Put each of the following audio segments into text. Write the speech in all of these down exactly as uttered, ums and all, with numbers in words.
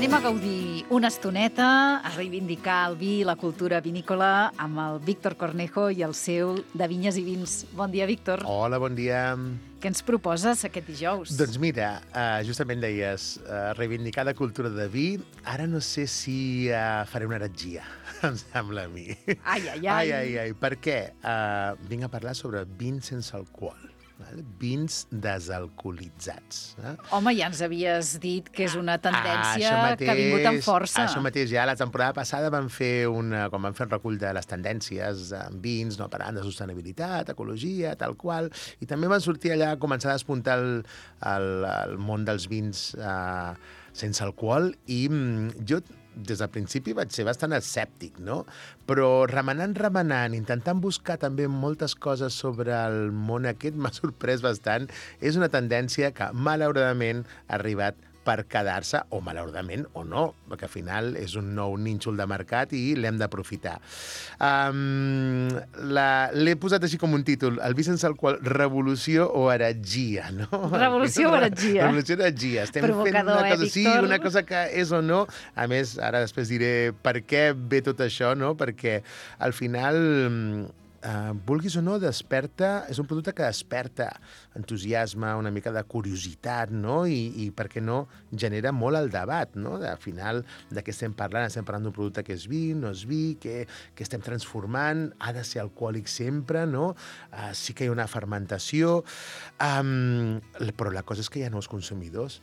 Anem a gaudir una estoneta, a reivindicar el vi i la cultura vinícola amb el Víctor Cornejo i el seu De Vinyes i Vins. Bon dia, Víctor. Hola, bon dia. Què ens proposes aquest dijous? Doncs mira, uh, justament deies uh, reivindicar la cultura de vi. Ara no sé si uh, faré una heretgia, em sembla a mi. Ai, ai, ai. Ai, ai, ai. Per què? Uh, vinc a parlar sobre vins sense alcohol. Vale? Vins desalcoholitzats. Eh? Home, ja ens havies dit que és una tendència ah, mateix, que ha vingut amb força. Això mateix, ja la temporada passada van fer una, quan van fer un recull de les tendències en vins, no, parlant de sostenibilitat, ecologia, tal qual, i també van sortir allà a començar a despuntar el, el, el món dels vins eh, sense alcohol, i mm, jo des del principi vaig ser bastant escèptic, no? Però remenant, remenant, intentant buscar també moltes coses sobre el món aquest, m'ha sorprès bastant. És una tendència que, malauradament, ha arribat per quedar-se, o malauradament, o no, perquè al final és un nou nínxol de mercat i l'hem d'aprofitar. Um, L'he posat així com un títol, el vi sense alcohol, revolució o heretgia, no? Revolució o heretgia? Revolució o heretgia. Estem Provocador, fent una cosa, eh, sí, Víctor? una cosa que és o no. A més, ara després diré per què ve tot això, no? Perquè al final, Uh, vulguis o no, desperta, és un producte que desperta entusiasme, una mica de curiositat, no? I, i per què no, genera molt el debat, no? Al final, de què estem parlant? Estem parlant d'un producte que és vi, no és vi, que, que estem transformant, ha de ser alcohòlic sempre, no? Uh, sí que hi ha una fermentació, um, però la cosa és que hi ha nous consumidors.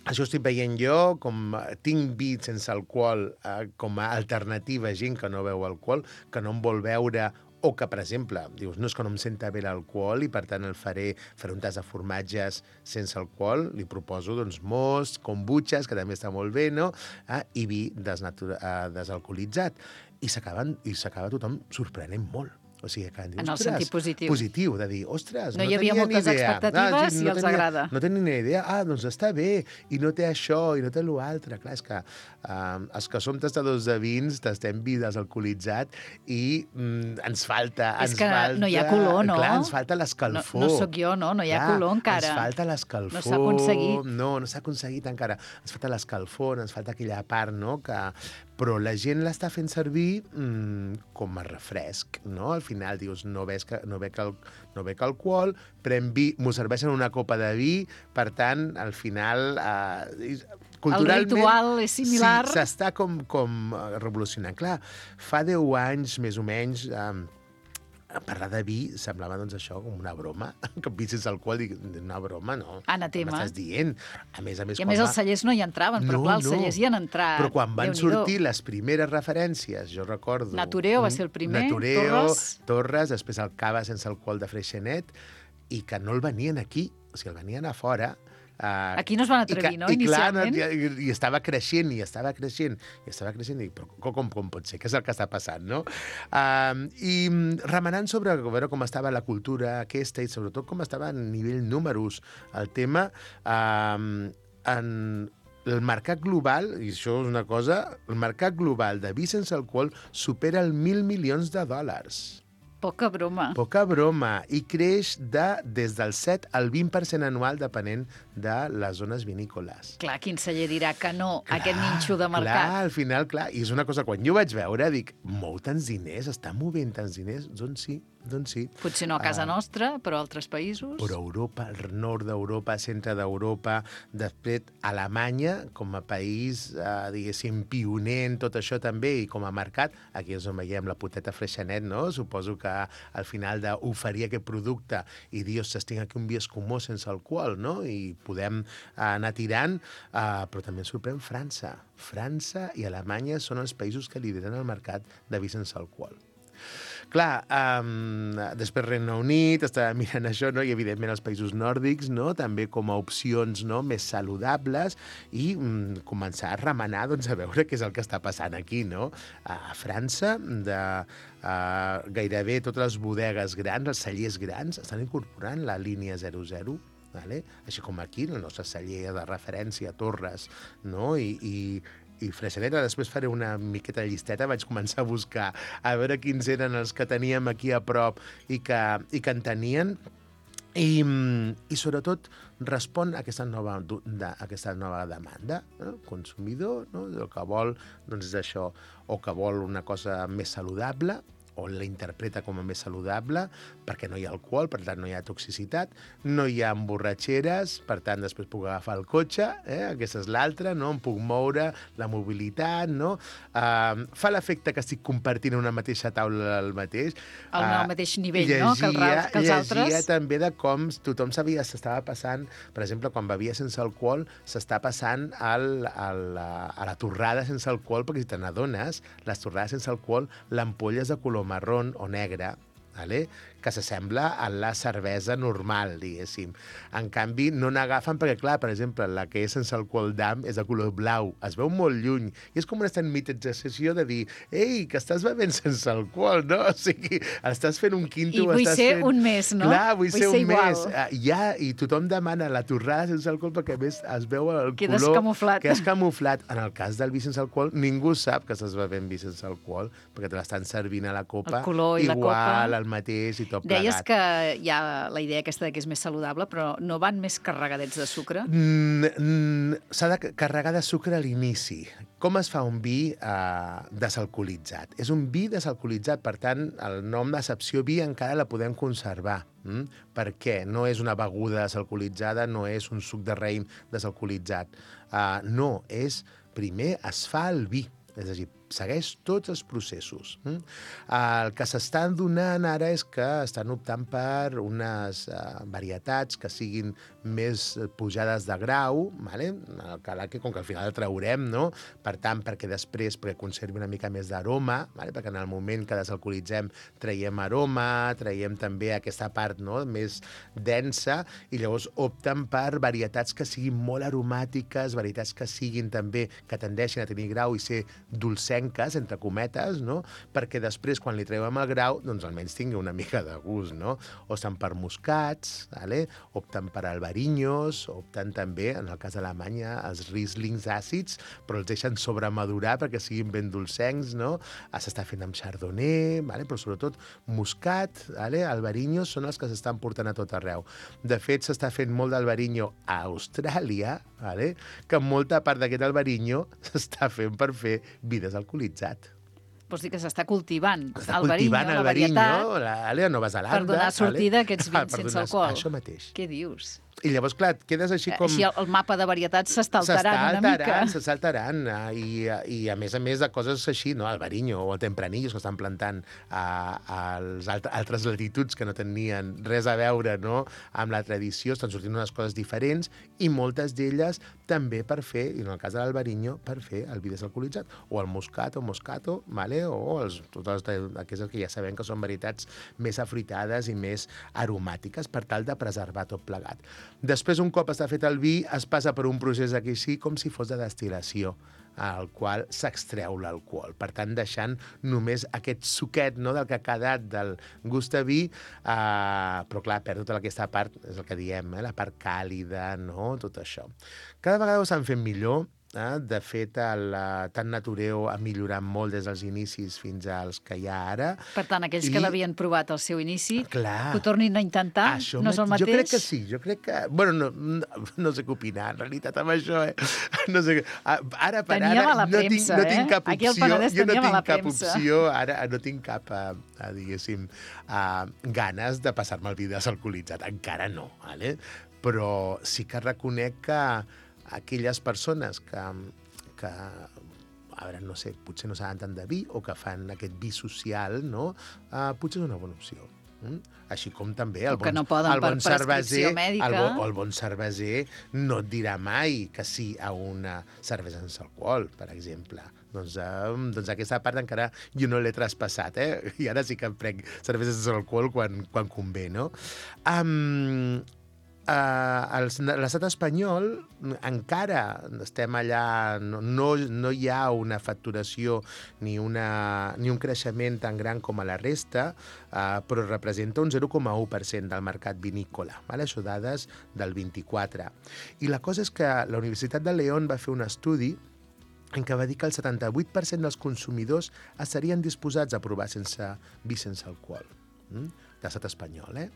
Això estic veient jo, com tinc vi sense alcohol eh, com a alternativa a gent que no beu alcohol, que no em vol veure, o que, per exemple, dius, no és que no em senta bé l'alcohol i, per tant, el faré, faré un tas de formatges sense alcohol, li proposo, doncs, most, kombuchas, que també està molt bé, no?, eh, i vi desnatura, eh, desalcoholitzat. I s'acaba tothom sorprenent molt. O sigui, que dir, en el sentit positiu. Positiu, de dir, ostres, no, no hi havia tenia ni idea. moltes expectatives ah, sí, no i els tenia, agrada. No tenia ni idea. Ah, doncs està bé, i no té això, i no té l'altre. Clar, és que uh, els que som tastadors de vins, tastem vi desalcoholitzat i mm, ens falta... És ens que falta, no hi ha color, no? Clar, ens falta l'escalfor. No, no sóc jo, no? No hi ha clar, color encara. Ens falta l'escalfor. No s'ha aconseguit. No, no s'ha aconseguit encara. Ens falta l'escalfor, ens falta aquella part, no?, que... Però la gent l'està fent servir mmm, com a refresc, no? Al final dius, no ves que, no bec, al, no bec alcohol, pren vi, m'ho serveixen una copa de vi, per tant, al final... Eh, culturalment, el ritual és similar. Sí, s'està com, com revolucionant. Clar, fa deu anys, més o menys... Eh, parlar de vi semblava, doncs, això com una broma, que vi sense alcohol, dic, una broma, no. Anatema. M'estàs dient. A més a més, I a més va... els cellers no hi entraven, però no, clar, els no. cellers hi han entrat. Però quan van sortir les primeres referències, jo recordo... Natureo va ser el primer, Natureo, Torres... Torres, després el cava sense alcohol de Freixenet, i que no el venien aquí, o sigui, el venien a fora. Uh, Aquí no es van atrevir, que, no, i inicialment? Clar, i, i estava creixent, i estava creixent, i estava creixent, i però com, com pot ser? Què és el que està passant, no? Uh, I remenant sobre a veure com estava la cultura aquesta, i sobretot com estava a nivell números el tema, uh, en el mercat global, i això és una cosa, el mercat global de vi sense alcohol supera el mil milions de dòlars. Poca broma. Poca broma. I creix de, des del set al vint per cent anual, depenent de les zones vinícoles. Clar, quin celler dirà que no a aquest nínxol de mercat? Clar, al final, clar. I és una cosa, quan jo vaig veure, dic, mou tants diners, està movent tants diners? Doncs sí, doncs sí. Potser no a casa uh, nostra, però a altres països. Però Europa, el nord d'Europa, centre d'Europa, després Alemanya, com a país, uh, diguéssim, pioner en tot això també, i com a mercat, aquí és on veiem la poteta Freixenet, no? Suposo que al final d'oferir aquest producte i dir, ostres, tinc aquí un vi escumós sense alcohol, no? I podem anar tirant, uh, però també ens sorprèn França. França i Alemanya són els països que lideren el mercat de vi sense alcohol. Clar, um, després Regne Unit, estava mirant això, no? I evidentment els països nòrdics, no? També com a opcions, no?, més saludables, i um, començar a remenar, doncs, a veure què és el que està passant aquí, no? A França, de uh, gairebé totes les bodegues grans, els cellers grans, estan incorporant la línia zero zero, vale? Així com aquí, el nostre celler de referència, Torres, no? I, i i Freixenet, després faré una miqueta de llisteta, vaig començar a buscar a veure quins eren els que teníem aquí a prop i que, i que en tenien, I, i sobretot respon a aquesta nova, a aquesta nova demanda. No? El consumidor, no? El que vol doncs, és això, o que vol una cosa més saludable, o la interpreta com a més saludable, perquè no hi ha alcohol, per tant no hi ha toxicitat, no hi ha emborratxeres, per tant després puc agafar el cotxe, eh? Aquesta és l'altra, no? Em puc moure, la mobilitat, no? Uh, fa l'efecte que estic compartint una mateixa taula al mateix. Al uh, mateix nivell, llegia, no? Que, el, que els altres. Llegia també de com tothom sabia, s'estava passant, per exemple, quan bevia sense alcohol, s'està passant al, al, a la torrada sense alcohol, perquè si te n'adones, les torrades sense alcohol, l'ampolla és de color marrón o negre, vale? Que s'assembla a la cervesa normal, diguéssim. En canvi, no n'agafen perquè, clar, per exemple, la que és sense alcohol d'am és de color blau. Es veu molt lluny. I és com una mitjització de dir ei, que estàs bevent sense alcohol, no? O sigui, estàs fent un quinto... I vull estàs ser fent... un més, no? Clar, vull, vull ser, ser un igual. més. Uh, ja, i tothom demana la torrada sense alcohol perquè, a més, es veu el Quedes color... camuflat. Que és camuflat. En el cas del vi sense alcohol, ningú sap que estàs bevent vi sense alcohol perquè te l'estan servint a la copa. El color i igual, la copa. el mateix i tot Deies plegat. que hi ha la idea aquesta de que és més saludable, però no van més carregadets de sucre? Mm, mm, s'ha de carregar de sucre a l'inici. Com es fa un vi eh, desalcoholitzat? És un vi desalcoholitzat, per tant, el nom d'accepció vi encara la podem conservar. Mm? Per què? No és una beguda desalcoholitzada, no és un suc de raïm desalcoholitzat. Uh, no, és... Primer es fa el vi, és a dir, segueix tots els processos. Mm? El que s'estan donant ara és que estan optant per unes uh, varietats que siguin més pujades de grau, vale? El calaque, com que al final el traurem, no? Per tant, perquè després perquè conservi una mica més d'aroma, vale? Perquè en el moment que desalcoholitzem traiem aroma, traiem també aquesta part, no? Més densa, i llavors opten per varietats que siguin molt aromàtiques, varietats que siguin també, que tendeixin a tenir grau i ser dolcenques, entre cometes, no? Perquè després, quan li treuem el grau, doncs almenys tingui una mica de gust, no? O estan per moscats, vale? Opten per albarinyos, opten també, en el cas d'Alemanya, els Rieslings àcids, però els deixen sobremadurar perquè siguin ben dolcencs, no? S'està fent amb chardonnay, vale? Però sobretot moscat, vale? Albarinyos són els que s'estan portant a tot arreu. De fet, s'està fent molt d'albarinyo a Austràlia, vale? Que molta part d'aquest albarinyo s'està fent per fer vi desalcoholitzat. Vols dir que s'està cultivant S'està el cultivant barinyo, el la varietat, barinyo, la, la Nova Zelanda... per donar sortida vale? a aquests vins sense donar... alcohol. Això mateix. Què dius? I llavors, clar, quedes així com... Així el mapa de varietats s'està alterant una mica. S'està alterant, i, i a més a més de coses així, no? El barinyo o el tempranillo que estan plantant a, a les altres latituds que no tenien res a veure, no? Amb la tradició, estan sortint unes coses diferents i moltes d'elles també per fer, i en el cas de l'albarinyo, per fer el vi desalcoholitzat, o el moscat o moscato, vale? O els, totes aquestes que ja sabem que són varietats més afruitades i més aromàtiques per tal de preservar tot plegat. Després, un cop està fet el vi, es passa per un procés aquí sí, com si fos de destil·lació, al qual s'extreu l'alcohol. Per tant, deixant només aquest suquet, no?, del que ha quedat del gust a vi, eh, però clar, perd tota aquesta part, és el que diem, eh, la part càlida, no?, tot això. Cada vegada ho estan fent millor. Eh? De fet, el, tant Natureo ha millorat molt des dels inicis fins als que hi ha ara. Per tant, aquells I... que l'havien provat al seu inici, clar, que ho tornin a intentar, això no és el mateix? Jo crec que sí, jo crec que... Bueno, no, no, no sé què opinar, en realitat, amb això, eh? No sé, ara per Teníem ara la no, premsa, tinc, no tinc cap eh? opció. Aquí al Penedès jo no teníem tinc la cap premsa. opció, ara no tinc cap, a, a, diguéssim, a, ganes de passar-me el vi desalcoholitzat. Encara no, vale? Però sí que reconec que aquelles persones que... que a veure, no sé, potser no saben tant de vi o que fan aquest vi social, no? Uh, potser és una bona opció. Mm? Així com també el bon, no el bon cerveser, el, bo, el bon cerveser no et dirà mai que sí a una cervesa sense alcohol, per exemple. Doncs, eh, doncs aquesta part encara jo no l'he traspassat, eh? I ara sí que em prenc cervesa sense alcohol quan, quan convé, no? Um, Uh, l'estat espanyol encara estem allà, no, no, no hi ha una facturació ni, una, ni un creixement tan gran com a la resta, uh, però representa un zero coma u per cent del mercat vinícola, vale? Això dades del vint-i-quatre. I la cosa és que la Universitat de León va fer un estudi en què va dir que el setanta-vuit per cent dels consumidors estarien disposats a provar sense vi sense alcohol. Mm? de l'estat espanyol, eh?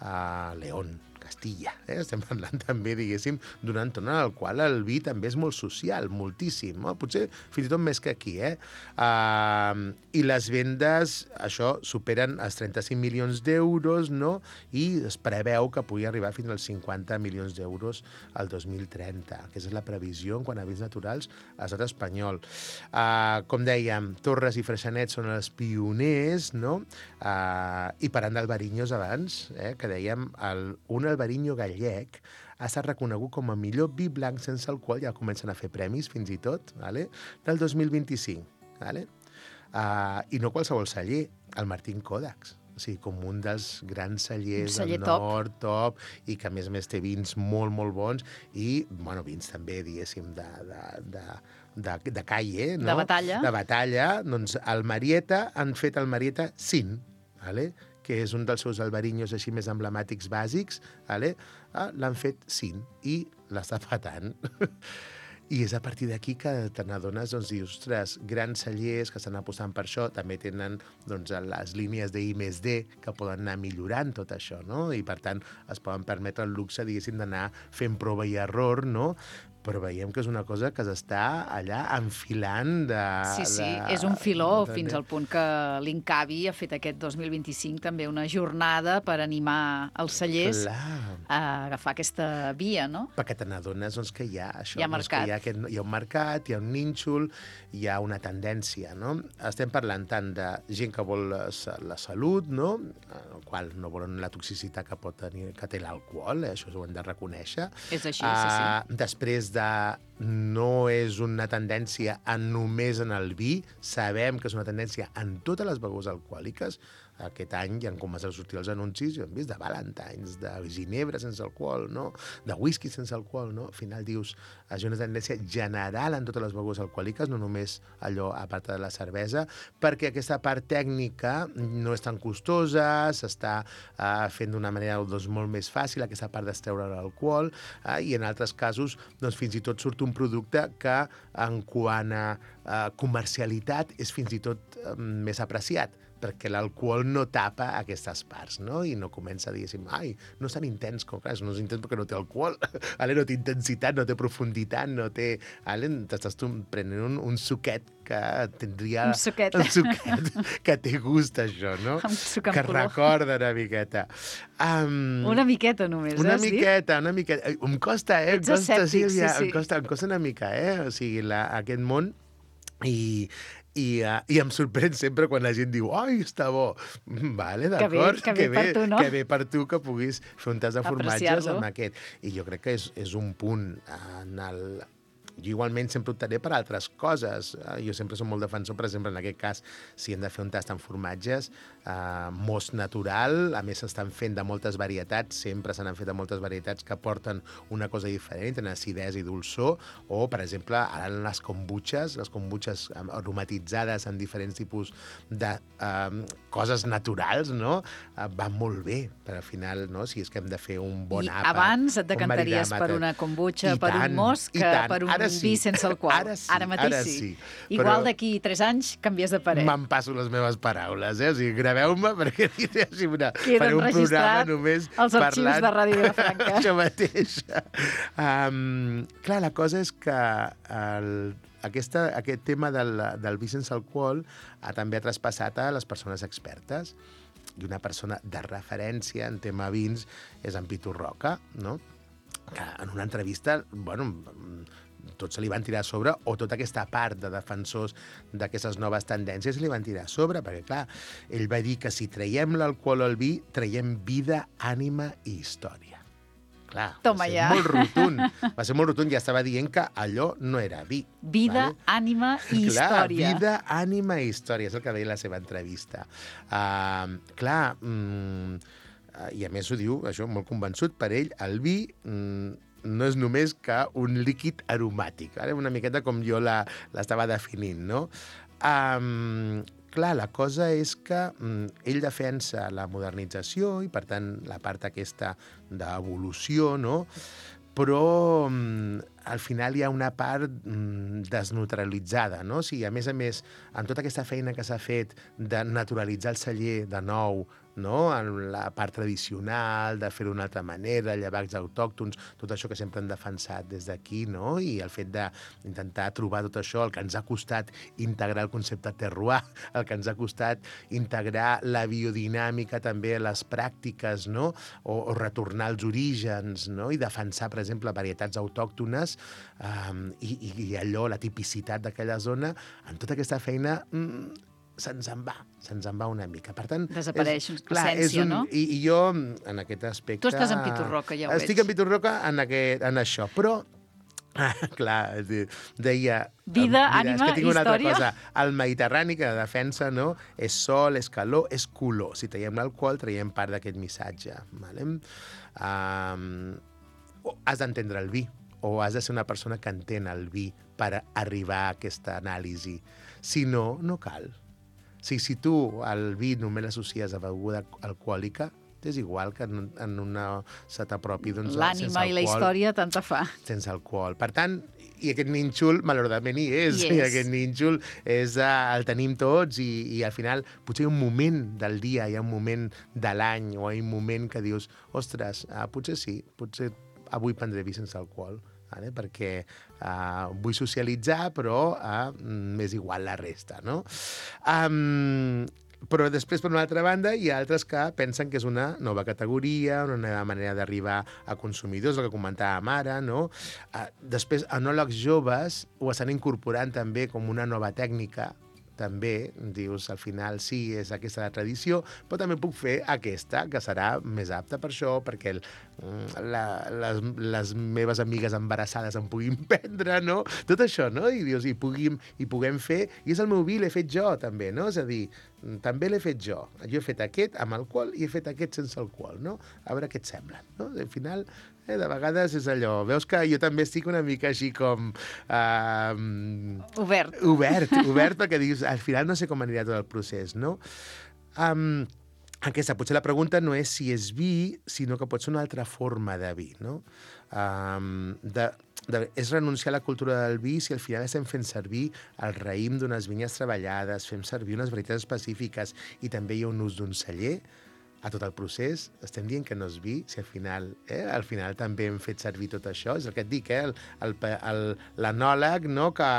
Uh, León, Castilla, eh? Estem parlant també, diguéssim, d'un entorn en el qual el vi també és molt social, moltíssim, no? Potser fins i tot més que aquí, eh? Uh, I les vendes, això, superen els trenta-cinc milions d'euros, no? I es preveu que pugui arribar fins als cinquanta milions d'euros al dos mil trenta. Aquesta és la previsió en quant a vins naturals a l'estat espanyol. Uh, com dèiem, Torres i Freixenet són els pioners, no? Uh, I parlant d'albarinyos abans, eh, que dèiem, el, un albariño gallec ha estat reconegut com a millor vi blanc sense alcohol, ja comencen a fer premis fins i tot, vale? Del dos mil vint-i-cinc. Vale? Uh, I no qualsevol celler, el Martín Kodaks. O sigui, com un dels grans cellers celler del top. nord, top, i que a més a més té vins molt, molt bons, i, bueno, vins també, diguéssim, de, de, de, de, de calle, no? De batalla. De batalla. Doncs el Marieta han fet el Marieta Sin, vale? Que és un dels seus albarinyos així més emblemàtics bàsics, vale? Ah, l'han fet Sin i l'està patant. I és a partir d'aquí que te n'adones, doncs, dius, ostres, grans cellers que estan apostant per això, també tenen doncs, les línies d'I més D que poden anar millorant tot això, no? I, per tant, es poden permetre el luxe, diguéssim, d'anar fent prova i error, no? Però veiem que és una cosa que s'està allà enfilant de... Sí, sí, de, és un filó de, fins al punt que l'Incavi ha fet aquest dos mil vint-i-cinc també una jornada per animar els cellers Clar. a agafar aquesta via, no? Perquè te n'adones doncs, que hi ha això. Hi ha doncs, mercat. Que hi, ha aquest, hi ha un mercat, hi ha un nínxol, hi ha una tendència, no? Estem parlant tant de gent que vol la, la salut, no? El qual no volen la toxicitat que pot tenir, que té l'alcohol, eh? Això ho hem de reconèixer. És així, uh, sí, sí. Després de no és una tendència en només en el vi, sabem que és una tendència en totes les begudes alcohòliques. Aquest any ja han començat a sortir els anuncis, jo hem vist de Valentines, de ginebra sense alcohol, no? De whisky sense alcohol, no? Al final dius, és una tendència general en totes les begudes alcohòliques, no només allò a part de la cervesa, perquè aquesta part tècnica no és tan costosa, s'està uh, fent d'una manera doncs, molt més fàcil, aquesta part d'estreure l'alcohol, uh, i en altres casos doncs, fins i tot surt un producte que en quant a uh, comercialitat és fins i tot uh, més apreciat, perquè l'alcohol no tapa aquestes parts, no? I no comença a dir, ai, no és tan intens, com clar, no és intens perquè no té alcohol, ale, no té intensitat, no té profunditat, no té... Ale, t'estàs tu prenent un, un suquet que tindria... Un suquet. Un suquet que té gust, això, no? Un suc amb que color. recorda una miqueta. Um, Una miqueta només, una has dit? miqueta, una miqueta. Em costa, eh? Em Ets costa, escèptic, Sílvia, sí, sí. Em costa, em costa una mica, eh? O sigui, la, aquest món... I, i, uh, i em sorprèn sempre quan la gent diu ai, està bo. Vale, d'acord. Que bé, que bé per tu, no? Que bé per tu que puguis fer un tas de formatges Apreciar-lo. amb aquest. I jo crec que és, és un punt en el... Jo igualment sempre optaré per altres coses. Jo sempre soc molt defensor, per exemple, en aquest cas, si hem de fer un tast en formatges, eh, most natural, a més s'estan fent de moltes varietats, sempre se n'han fet de moltes varietats que porten una cosa diferent, en acidesa i dolçor, o, per exemple, ara les kombuches, les kombuches aromatitzades amb diferents tipus de eh, coses naturals, no? Eh, van molt bé, per al final, no? Si és que hem de fer un bon I àpat. abans et un decantaries maridàmetre. per una kombucha, I per tant, un most, i que tant. per un Ara sí. vi sense alcohol. Ara sí, Ara mateix ara sí. sí. Igual Però- d'aquí tres anys canvies de parer. Me'n passo les meves paraules, eh? O sigui, graveu-me perquè diré així una... Queda faré un programa enregistrat només als arxius parlant de Ràdio Vilafranca. això mateix. Um, clar, la cosa és que el, aquesta, aquest tema del, del vi sense alcohol ha també ha traspassat a les persones expertes. I una persona de referència en tema vins és en Pitu Roca, no? Que en una entrevista, bueno, tot se li van tirar a sobre, o tota aquesta part de defensors d'aquestes noves tendències li van tirar a sobre, perquè, clar, ell va dir que si traiem l'alcohol al vi, traiem vida, ànima i història. Clar, Toma va ser ja. molt rotund. Va ser molt rotund, ja estava dient que allò no era vi. Vida, vale? ànima i Clar, història. vida, ànima i història, és el que deia la seva entrevista. Uh, clar, mm, i a més ho diu, això, molt convençut, per ell, el vi mm, no és només que un líquid aromàtic, vale? Una miqueta com jo la- l'estava definint, no? Um, clar, la cosa és que mm, ell defensa la modernització i, per tant, la part aquesta d'evolució, no? Però mm, al final hi ha una part mm, desnaturalitzada, no? O sigui, a més a més, en tota aquesta feina que s'ha fet de naturalitzar el celler de nou, no? En la part tradicional, de fer-ho d'una altra manera, llevats autòctons, tot això que sempre hem defensat des d'aquí, no? I el fet d'intentar trobar tot això, el que ens ha costat integrar el concepte terroir, el que ens ha costat integrar la biodinàmica també a les pràctiques, no? O, o retornar als orígens, no? I defensar, per exemple, varietats autòctones um, i, i, i allò, la tipicitat d'aquella zona, en tota aquesta feina mm, se'ns en va, se'ns en va una mica. Per tant, desapareix l'essència, no? I, I jo, en aquest aspecte... Tu estàs en Pitorroca, ja ho veig. Estic en Pitorroca en, aquest, en això, però... Ah, clar, deia... Vida, mira, ànima, és que tinc una història... altra cosa. El Mediterrani, que de defensa, no? És sol, és calor, és color. Si traiem l'alcohol, traiem part d'aquest missatge. Vale? Um, has d'entendre el vi, o has de ser una persona que entén el vi per arribar a aquesta anàlisi. Si no, no cal. Si, si tu el vi només l'associes a beguda alcohòlica, és igual que en, en una se t'apropi doncs, l'ànima i la història tant te fa. Sense alcohol. Per tant, i aquest nínxol, malauradament, hi és. Yes. I aquest nínxol és, uh, el tenim tots i, i al final potser hi ha un moment del dia, hi ha un moment de l'any o hi ha un moment que dius, ostres, uh, potser sí, potser avui prendré vi sense alcohol. Vale? Perquè uh, vull socialitzar, però uh, m'és igual la resta, no? Um, però després, per una altra banda, hi ha altres que pensen que és una nova categoria, una nova manera d'arribar a consumidors, el que comentàvem ara, no? Uh, després, enòlegs joves ho estan incorporant també com una nova tècnica, també, dius, al final sí, és aquesta la tradició, però també puc fer aquesta, que serà més apta per això, perquè el, la, les, les meves amigues embarassades em puguin prendre, no? Tot això, no? I dius, i, puguim, i puguem fer, i és el meu vi, l'he fet jo, també, no? És a dir, també l'he fet jo. Jo he fet aquest amb alcohol i he fet aquest sense alcohol, no? A veure què et sembla, no? Al final, eh, de vegades és allò, veus que jo també estic una mica així com... Uh, obert. Obert, obert, perquè dius, al final no sé com anirà tot el procés, no? Um, aquesta, potser la pregunta no és si és vi, sinó que pot ser una altra forma de vi, no? Um, de, de, és renunciar a la cultura del vi si al final estem fent servir el raïm d'unes vinyes treballades, fem servir unes varietats específiques i també hi ha un ús d'un celler a tot el procés. Estem dient que no és vi, si al final, eh, al final també hem fet servir tot això. És el que et dic, eh, l'anòleg, no?, que,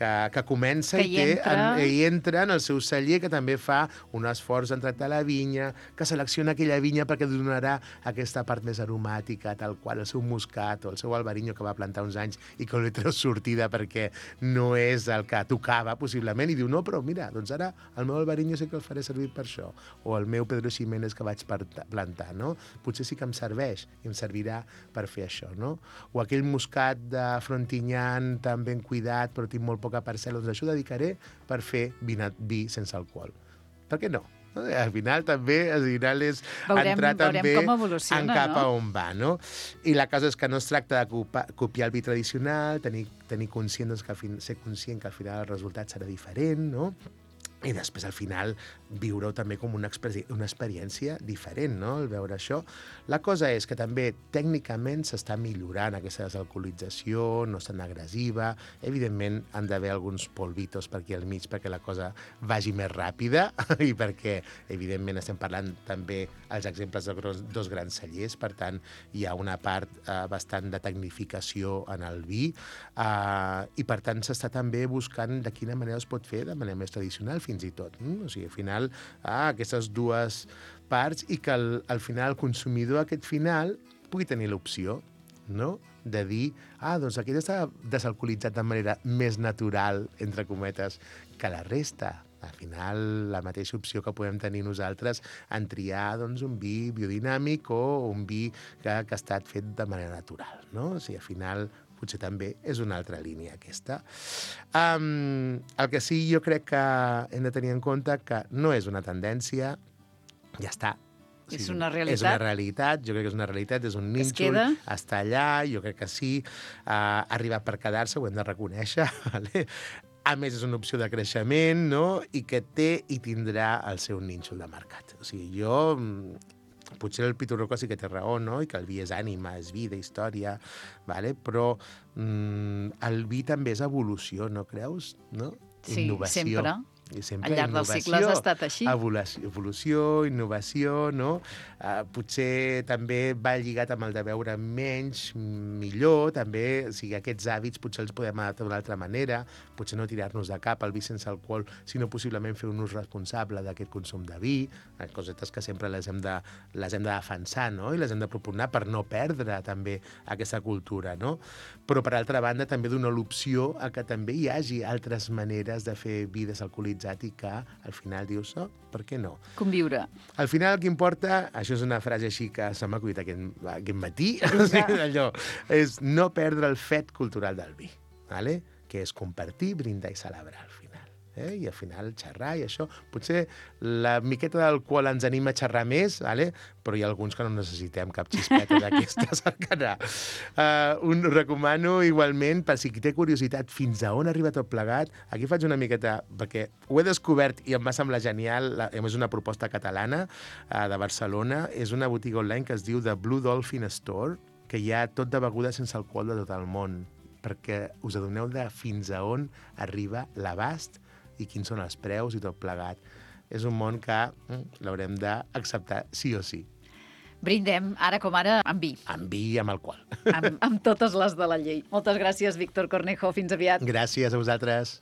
que, que comença que i, té, entra... en, i entra en el seu celler, que també fa un esforç en tractar la vinya, que selecciona aquella vinya perquè donarà aquesta part més aromàtica, tal qual el seu moscat o el seu albariño que va plantar uns anys i que li treu sortida perquè no és el que tocava, possiblement, i diu, no, però mira, doncs ara el meu albariño sé que el faré servir per això, o el meu Pedro Ximénez que vaig plantar, no? Potser sí que em serveix i em servirà per fer això, no? O aquell moscat de Frontignan tan ben cuidat, però tinc molt poca parcel·la, doncs això ho dedicaré per fer vi, vi sense alcohol. Per què no? Al final també al final és veurem, entrar també en cap no? a on va, no? I la cosa és que no es tracta de copiar el vi tradicional, tenir, tenir conscient, doncs, que al fin, ser conscient que al final el resultat serà diferent, no? I després, al final, viure-ho també com una, una experiència diferent, no?, el veure això. La cosa és que també, tècnicament, s'està millorant aquesta desalcoholització, no és tan agressiva. Evidentment, han d'haver alguns polvitos per aquí al mig perquè la cosa vagi més ràpida i perquè, evidentment, estem parlant també els exemples de dos grans cellers, per tant, hi ha una part eh, bastant de tecnificació en el vi eh, i, per tant, s'està també buscant de quina manera es pot fer de manera més tradicional, fins i tot. Mm? O sigui, al final, ah, aquestes dues parts i que al, al final el consumidor aquest final pugui tenir l'opció, no?, de dir, ah, doncs aquest està desalcoholitzat de manera més natural, entre cometes, que la resta. Al final, la mateixa opció que podem tenir nosaltres en triar, doncs, un vi biodinàmic o un vi que, que ha estat fet de manera natural, no? O sigui, al final, potser també és una altra línia aquesta. Um, el que sí jo crec que hem de tenir en compte que no és una tendència, ja està. O sigui, és una realitat. És una realitat, jo crec que és una realitat, és un nínxol, està allà, jo crec que sí, uh, ha arribat per quedar-se, ho hem de reconèixer, vale? A més, és una opció de creixement, no?, i que té i tindrà el seu nínxol de mercat. O sigui, jo... potser el Pitorroca sí que té raó, no?, i que el vi és ànima, és vida, història, vale? Però mm, el vi també és evolució, no creus? No? Sí, innovació. sempre. I sempre Al llarg dels cicles ha estat així. Evolució, evolució, innovació, no? Uh, potser també va lligat amb el de beure menys, millor, també, o sigui, aquests hàbits potser els podem adaptar d'una altra manera, potser no tirar-nos de cap al vi sense alcohol, sinó possiblement fer un ús responsable d'aquest consum de vi, cosetes que sempre les hem de, les hem de defensar, no? I les hem de propugnar per no perdre també aquesta cultura, no? Però, per altra banda, també donar l'opció a que també hi hagi altres maneres de fer vi desalcoholitzat i que al final dius, oh, per què no? Conviure. Al final el que importa, això és una frase així que se m'ha acudit aquest, aquest matí, o sigui, allò, és no perdre el fet cultural del vi, ¿vale? Que és compartir, brindar i celebrar al final. Eh? I al final xerrar i això. Potser la miqueta d'alcohol ens anima a xerrar més, ¿vale? Però hi ha alguns que no necessitem cap xispeta d'aquestes al canal. Uh, un recomano igualment, per si qui té curiositat fins a on arriba tot plegat, aquí faig una miqueta, perquè ho he descobert i em va semblar genial, la, és una proposta catalana uh, de Barcelona, és una botiga online que es diu The Blue Dolphin Store, que hi ha tot de begudes sense alcohol de tot el món, perquè us adoneu de fins a on arriba l'abast i quins són els preus i tot plegat. És un món que mm, l'haurem d'acceptar sí o sí. Brindem, ara com ara, amb vi. Amb vi i amb alcohol. Amb, amb totes les de la llei. Moltes gràcies, Víctor Cornejo. Fins aviat. Gràcies a vosaltres.